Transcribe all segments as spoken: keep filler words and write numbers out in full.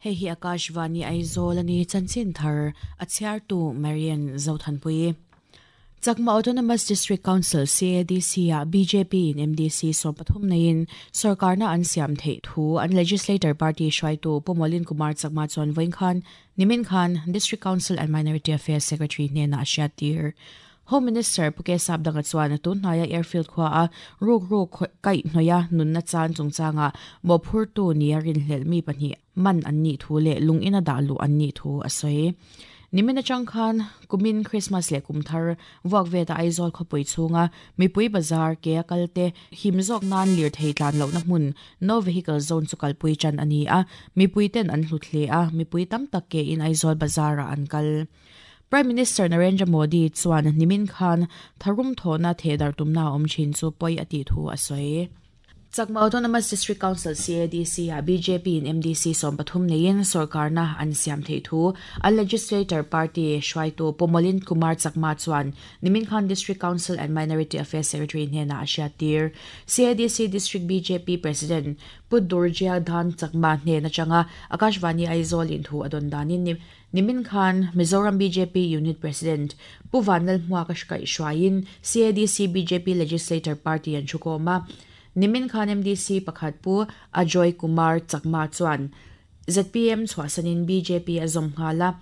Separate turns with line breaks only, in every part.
Hei hi Akashvani Aizawl ani chanchin thar a chhiartu Marian Zothanpui. Chakma Autonomous District Council C A D C a B J P in M D C sawm pathum neiin sarkarna an siam theih thu an legislator party hruaitu Pumolin Kumar Chakma chuan vawiin khan nimin khan District Council and Minority Affairs Secretary hnenah a hriattir. Home Minister Puke Sapdanga chuan tunhnaia airfield khua a ruk ruk kai hnoia nunna chan chungchanga mawhphurtu nia rinhlelh mi pahnih man an nih thu leh lungin a dah luh an nih thu a sawi. Nimina changkhan kumin Christmas le kumthar vuak ve ta Aizawl khawpui chhunga mipui bazar ke a kalte himzawk nan lir thei tlan lohna hmun no vehicle zone chu kalpui chan ani a mipui ten an hlut hle a mipui tam tak ke in Aizawl bazar a an kal. Prime Minister Narendra Modi chuan nimin khan tharum thona thedar tumna awm thin chu poi ati thu a sawi. Chakma Autonomous District Council C A D C a B J P in M D C sawm pathum neiin sarkarna an siam thei thu a legislator party hruaitu Pumolin Kumar Chakma chuan nimin khan District Council and Minority Affairs Secretary hnenah a hriattir. C A D C District B J P President Pudurjia Dhan Chakma hnena changa Akashvani Aizawl in thu adon danin nimin khan Mizoram B J P Unit President Puvanal Hmuaka hkai hruaiin C A D C B J P Legislator Party an thukawma nimin khan M D C pakhat pu Ajoy Kumar Chakma chuan Z P M chhuahsanin B J P a zawm nghala.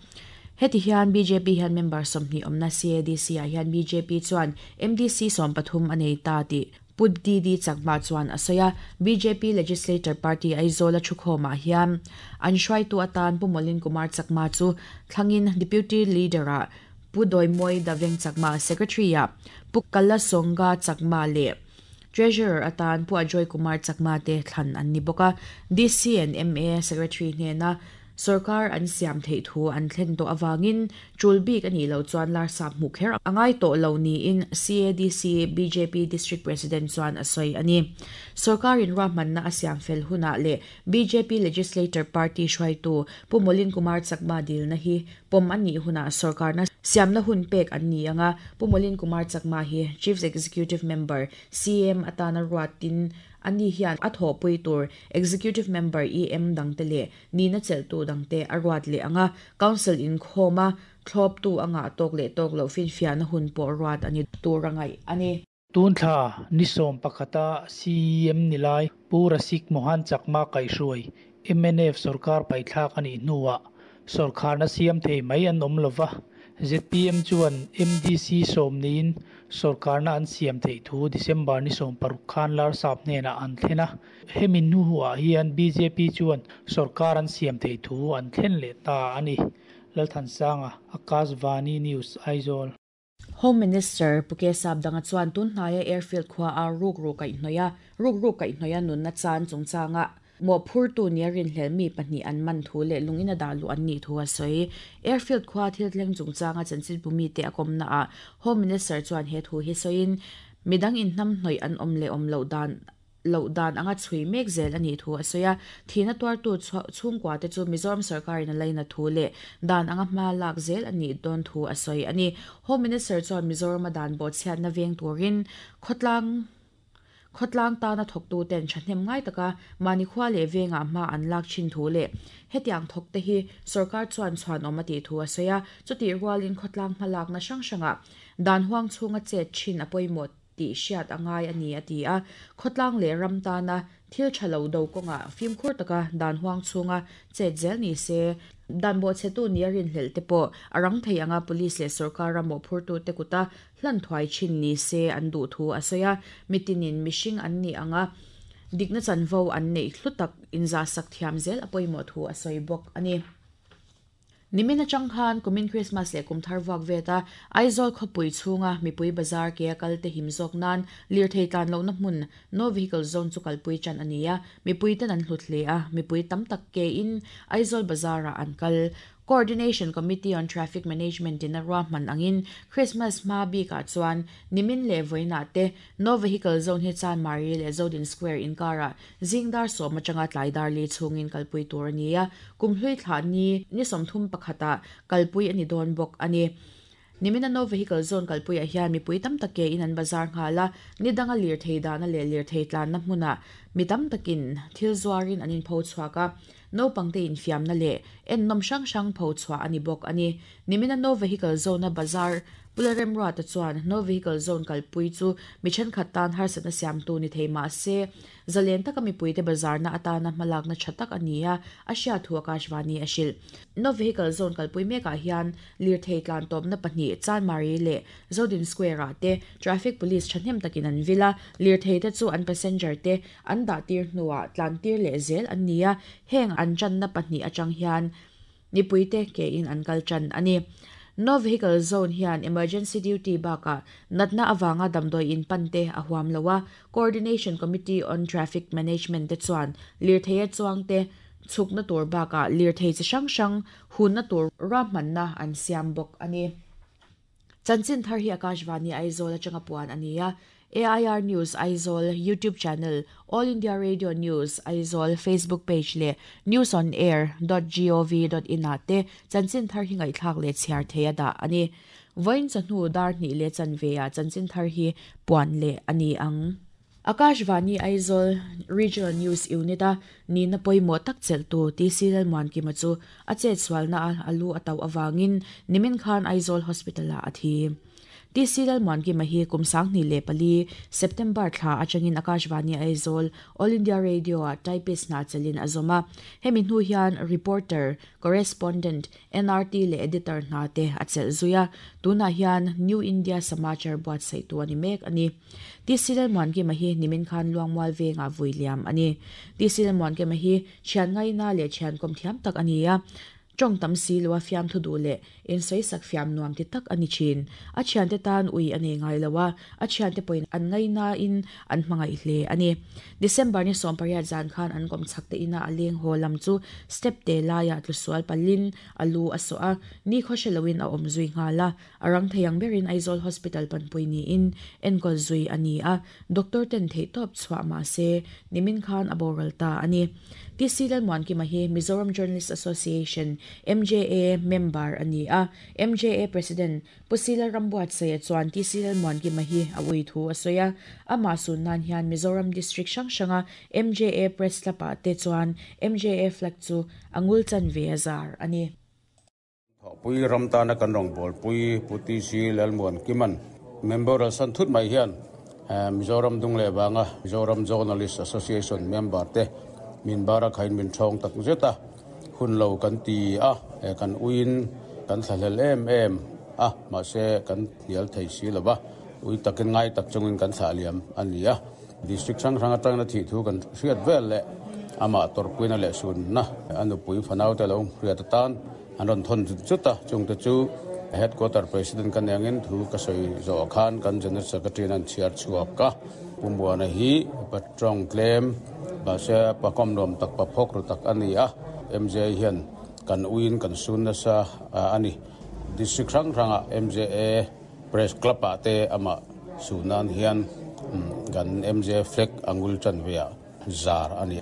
Heti hian B J P hian member sawmhnih awmna C A D C ah hian B J P chuan M D C sawm pathum a nei ta tih Pu D D Chakma chuan a sawi a. B J P Legislator Party Aizawl a thukhawmah hian an hruaitu atan Pumolin Kumar Chakma chu thlangin Deputy Leader ah Pu Doimoi Daveng Chakma, Secretary ah Pu Kalasonga Chakma leh Treasurer atan Pu Ajoy Kumar Chakma te thlan an ni bawk a. D C and M A Secretary hnena sarkar an siam theih thu an thlen tawh awangin tul bik ani lo chuan lar sap hmu kher angai tawh lo niin C A D C B J P District President chuan a sawi ani. Sarkar in ruahmanna a siam fel hunah leh B J P Legislator Party hruaitu Pumolin Kumar Chakma dilna hi pawm ani hunah sarkarna siamna hun pek an ni anga Pumolin Kumar Chakma hi Chief Executive Member C M atana ruatin ani hian a thawhpui tur Executive Member E M dangte leh nina cheltu dangte a ruat leh anga Council in khawma thlawptu anga tawk leh tawk lo finfiahna hun pawh ruat ani tur angai ani.
Tunthla ni sawm pakhata C M nilai Pu Rasik Mohan Chakma kaihhruai M N F sarkar paithlak ani hnuah sarkarna siam thei mai an awm lova Z P M chuan M D C sawm niin sarkarna an siam thei thu December ni sawm paruk khan lar sap hnenah an thlen a. Hemi hnuah hian B J P chuan sarkar an siam thei thu an thlen leh ta ani. Lalthansanga, Akashvani News, Aizawl.
Home Minister Puke Sapdanga chuan tunhnaia airfield khua a ruk ruk kai hnoia ruk ruk kai hnoia nunna chan chungchanga mawhphurtu nia rinhlelh mi pahnih an man thu leh lungin a dah luh an nih thu a sawi. Airfield khua thil thleng chungchanga chanchin bumi te a kawmna ah Home Minister chuan he thu hi sawiin midang in hnam hnawih an awm leh awm loh dan loh dan anga chhui mek zel ani thu a sawi a. Thina tuartu chhungkua te chu Mizoram sarkarin a laina thu leh dan anga hma lak zel ani dawn thu a sawi ani. Home Minister chuan Mizoram a dan bawh chhiatna veng turin khawtlang khawtlang tana thawktu ten thahnem ngai taka mani khua leh venga hma an lak thin thu leh hetiang thawk te hi sarkar chuan chuan awm a tih thu a sawi a. Chuti rualin khawtlang hma lakna hrang hranga dan huang chhunga chet thin a pawimawh tih hriat angai ani a ti a. Khawtlang leh ram tana thil tha lo do kawnga fimkhur taka dan huang chhunga chet zel ni se dan bawh chhetu nia rinhlelh te pawh a rang thei anga police leh sarkar ram mawhphurtu te kuta hlan thuai thin ni se an duh thu a sawi a. Mitinin mihring an ni anga dikna chanvo an neih hlu tak inza sak thiam zel a pawimawh thu a sawi bawk ani. Nimina changkhan kumin Christmas leh kumthar vuak veta Aizawl khawpui chhunga mipui bazar ke a kalte himzawk nan lir thei tlan lohna hmun no vehicle zone chu kalpui chan ani a. Mipui ten an hlut hle a. Mipui tam tak ke in Aizawl bazar ah an kal. Coordination Committee on Traffic Management in a ruahman angin Christmas hma bikah chuan nimin leh vawiinah te no vehicle zone hi chan Mari leh Zodin Square inkara zingdar sawm atanga tlaidar li chhungin kalpui tur ani a. Kumhlui thla ni ni sawmthum pakhata kalpui ani dawn bawk ani. Nimina no vehicle zone kalpui ah hian mipui tam tak ke in an bazar nghala nidanga lir thei dana leh lir thei tlanna hmuna mi tam takin thil zuarin an in pho chhuak a. naupang te infiamna leh ennawm hrang hrang pho chhuah a ni bawk a ni. Nimina No Vehicle Zone a bazar Pularem Ruata chuan No Vehicle Zone kalpui chu mi thenkhat tan harsatna siamtu ni thei mah se zalen taka mipui te bazarna atana hmalakna tha tak a ni a, a hriat thu Akashvani a hrilh. No Vehicle Zone kalpui mekah hian lirthei tlan tawpna pahnih Chanmari leh Zodin Square ah te traffic police thahnem takin an vil a, lirthei te chu an passenger te an dah tir hnuah tlan tir leh zel an ni a, heng an channa pahnih atang hian mipui te ke in an kal chan a ni. No Vehicle Zone hian emergency duty bakah natna awanga damdawi in pan te a huam loa Coordination Committee on Traffic Management te chuan lirthei a chuang te chhukna tur bakah lirthei chi hrang hrang hunna tur ruahmanna an siam bawk a ni. Chanchin thar hi Akashvani Aizawl atanga puan a ni a. A I R News Aizawl YouTube channel, All India Radio News Aizawl Facebook page leh news on air dot gov dot in ah te chanchin thar hi ngaihthlak leh chhiar thei a dah a ni. Vawiin chawhnu dar hnih leh chanve ah chanchin thar hi puan leh a ni ang. Akashvani Aizawl Regional News Unit a nina pawimawh tak chelhtu T C Lalmuankima chu a chet sualna a alu a tauh awangin nimin khan Aizawl Hospital ah a thi. T C Lalmuankima hi kum sanghnih leh pali September thla atangin Akashvani Aizawl All India Radio ah typist hna chelin a zawm a. Hemi hnu hian reporter, correspondent, N R T leh editor hna te a chelh zui a. Tunah hian New India Samachar buatsaih tu a ni mek a ni. T C Lalmuankima hi nimin khan Luangmual vengah vui liam a ni. T C Lalmuankima hi thian ngaina leh thian kawm thiam tak a ni a. Tawng tam si lo a fiam thu duh leh in sawi sak fiam nuam ti tak a ni thin. A thian te tan ui a nei ngai lo a, a thian te pawhin an ngaina in an hmangaih hle a ni. December ni sawm pariat zan khan an kawm chhak te ina a leng haw lam chu step te laiah tlusual palin a lu a sawh a, ni khaw hre loin a awm zui nghal a. A rang thei ang berin Aizawl Hospital panpui niin enkawl zui a ni a. Doctor ten theih tawp chhuah mah se nimin khan a boral ta a ni. T C Lalmuankima hi Mizoram Journalist Association M J A member a ni a. M J A President Pusila Rambuatsaia chuan T C Lalmuankima hi a ui thu a sawi a. Amah sun nan hian Mizoram District hrang hranga M J A Press Club ah te chuan M J A flag chu angul chan ve a zar a ni.
Pui ramtana kan rong bol pui Pu T C Lalmuankiman member san thut mai hian Mizoram dung le wanga Mizoram Journalist Association member te min bara khain min thong tak zeta hun lo kan ti a kan uin kan thlahlel em em a ma se kan hial thei si lova ui takin ngai tak chungin kan thla liam ani a. District sang sang atang na thi thu kan hriat vel le ama torpuina le sun na anu pui fanau te lo hriat tan an ron thon chuta chungte chu headquarter president kan angin thu ka soi zo khan kan general secretary nan chiar chuak ka pumbuana hi patrong claim ba se pakom nom tak pa phok ru tak ani a. M J hian kan uin kan sun na sa ani district rang ranga M J A press club a te ama sunan hian kan M J flag angul chan via zar ani.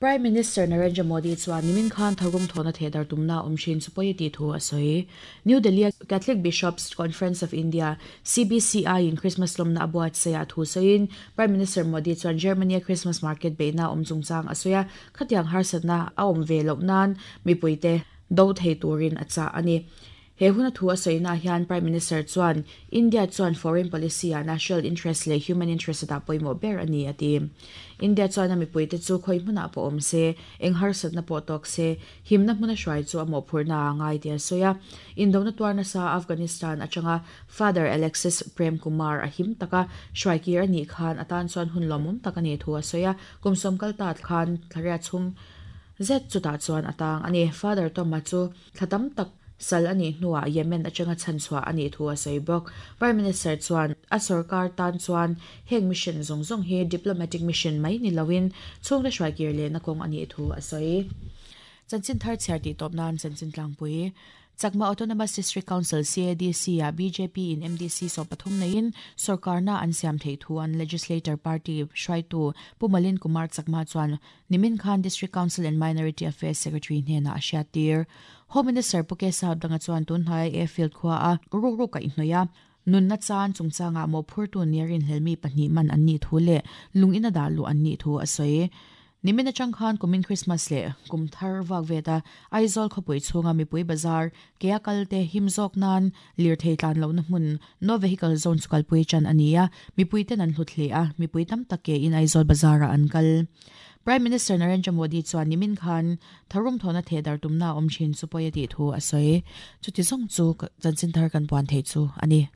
Prime Minister Narendra Modi chuan nimin khan tharum thona thedar tumna omshin chupoi ti thu a sawi. New Delhi Catholic Bishops Conference of India C B C I in Christmas lomna abuat saya thu sawiin Prime Minister Modi chuan Germany Christmas market beina omchungchang a sawi a, khatiang harsatna a awm ve loh nan mipuite do thei turin a cha ani. He huna thu a sawi na hian Prime Minister chuan India chuan foreign policy a national interest leh human interest da pawimawh ber ani a ti. India chuan a mipuite chu khoi hmuna pawh awm se eng harsatna pawh tawk se himna hmuna hruai chu a mawhphurna a ngai ti a sawi a. Indona tuarna sa Afghanistan atanga Father Alexis Prem Kumar a him taka hruai kir ani khan atan chuan hun lawmawm tak ani thu a sawi a. Kum sawm kal ta khan thlaria chhung zet chutah chuan atang ani. Father Toma chu thlatam tak sal ani hnuah Yemen atanga chanchhuah ani thu a sawi bawk. Prime Minister chuan a sarkar tan chuan heng mission zawng zawng hi diplomatic mission mai ni loin chhungte hruai kir leh na kawng ani thu a sawi. Chanchin thar chhiar tih tawp nan chanchin tlangpui Chakma Autonomous District Council C A D C a B J P in M D C sawm pathum neiin sarkarna an siam thei thu an legislator party hruaitu Pumalin Kumar Chakma chuan nimin khan District Council and Minority Affairs Secretary hnena a hriat tir. Home Minister Puke Saudanga chuan tunhnai airfield khua a ru ru ka inhnoia nunna chan chungchanga mo phurtu nerin helmi pahnih man an ni thu le lungina dalu an ni thu a sawi. Nimina changkhan kumin Christmas le kumthar wak veta Aizawl khopui chunga mipui bazar kea kalte himzok nan lir thei tlan lo na hmun no vehicle zone chukal pui chan ania mipui ten an hlut hle a mipui tam take in Aizawl bazara an kal. Prime Minister Narendra Modi chuan nimin khan tharum thona thedar tumna om chin chu poyati thu asoi chuti zong chu chanchin thar kan puan thei chu ani.